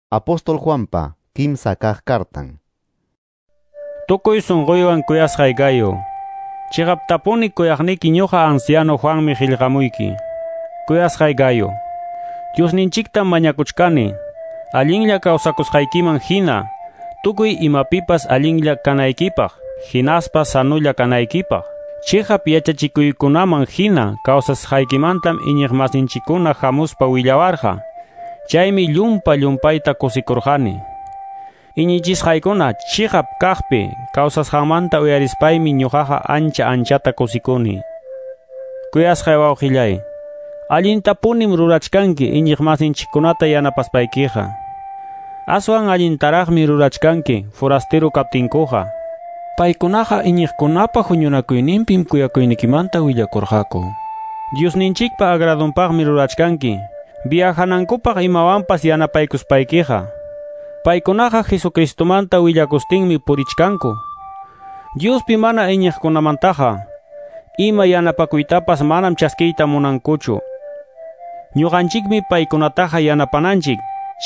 Apóstol Juanpa kimsa kaq kartan. Tukuy sunquywan kuyasqay Gayo. Chiqaptapuni kuyaqniki ñuqa anciano Juanmi qillqamuyki. Kuyasqay Gayo. Diosninchiktam mañakuchkani. Allinlla kawsakusqaykiman hina, tukuy imapipas allinlla kanaykipaq, hinaspa sanulla kanaykipaq. Chiqap yachachikuykunaman hina kawsasqaykimantam iñiqmasinchikkuna hamuspa willawarqa. Chaymi llumpa llumpayta kusikurqani. Iñichisqaykuna chiqap kaqpi kawsasqanmanta uyarispaymi ñuqaqa ancha anchata kusikuni. Kuyasqay wawqillay, allintapunim rurachkanki iñiqmasinchikkunata yanapaspaykiqa. Aswan allintaraqmi rurachkanki forastero kaptinkuqa. Paykunaqa iñiqkunapa huñunakuyninpim kuyakuynikimanta willakurqaku. Diosninchikpa agradonpaqmi rurachkanki. Viajanankupaq imawanpas yanapaykuspaykiqa. Paykunaqa Jesucristomanta willakustinmi purichkanku. Diospi mana iñiqkunamantaqa ima yanapakuytapas manam chaskiyta munankuchu. Ñuqanchikmi paykunataqa yanapananchik,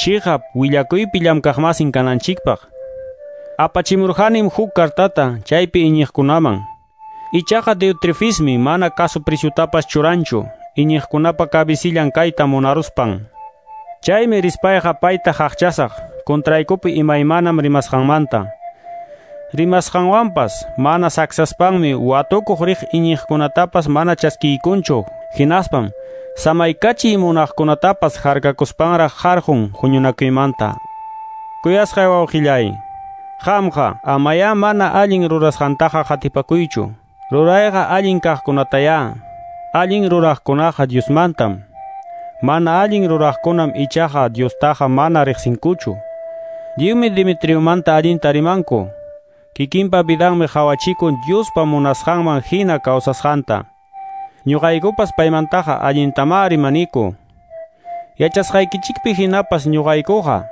chiqap willakuypi llamkaqmasin kananchikpaq. Apachimurqanim huk kartata chaypi iñiqkunaman. Ichaqa Diotrefismi mana kasu preciutapas churanchu, iñiqkunapa kabisillan kayta munaruspan. Chaymi rispayqa payta haqchasaq, contraykupi imaymanam rimasqanmanta. Rimasqanwanpas mana saksaspanmi watukuq riq iñiqkunatapas mana chaskiykunchu, hinaspam samaykachiy munaqkunatapas harkakuspanraq harqun huñunakuymanta. Kuyasqay wawqillay, qamqa amayá mana allin rurasqantaqa qatipakuychu. Rurayqa allin kaqkunatayá. Allin ruraqkunaqa Diosmantam. Mana allin ruraqkunam ichaqa Diostaqa mana riqsinkuchu. Lliwmi Dimitriomanta allinta rimanku. Kikinpa vidanmi qhawachikun Diospa munasqanman hina kawsasqanta. Ñuqaykupas paymantaqa allintamá rimaniku. Yachasqaykichikpi hinapas ñuqaykuqa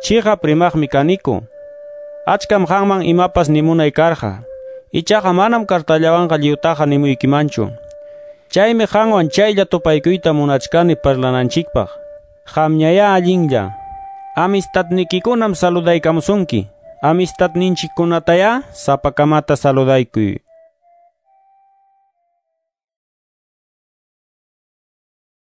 chiqap rimaqmi kaniku. Achkam qanman imapas nimunay karqa. Ichaqa manam kartallawanqa lliwtaqa nimuykimanchu. Chaymi qanwan chaylla tupaykuyta munachkani parlananchikpaq. Qamñayá allinlla. Amistadnikikunam saludaykamusunki. Amistadninchikkunatayá sapakamata saludaykuy.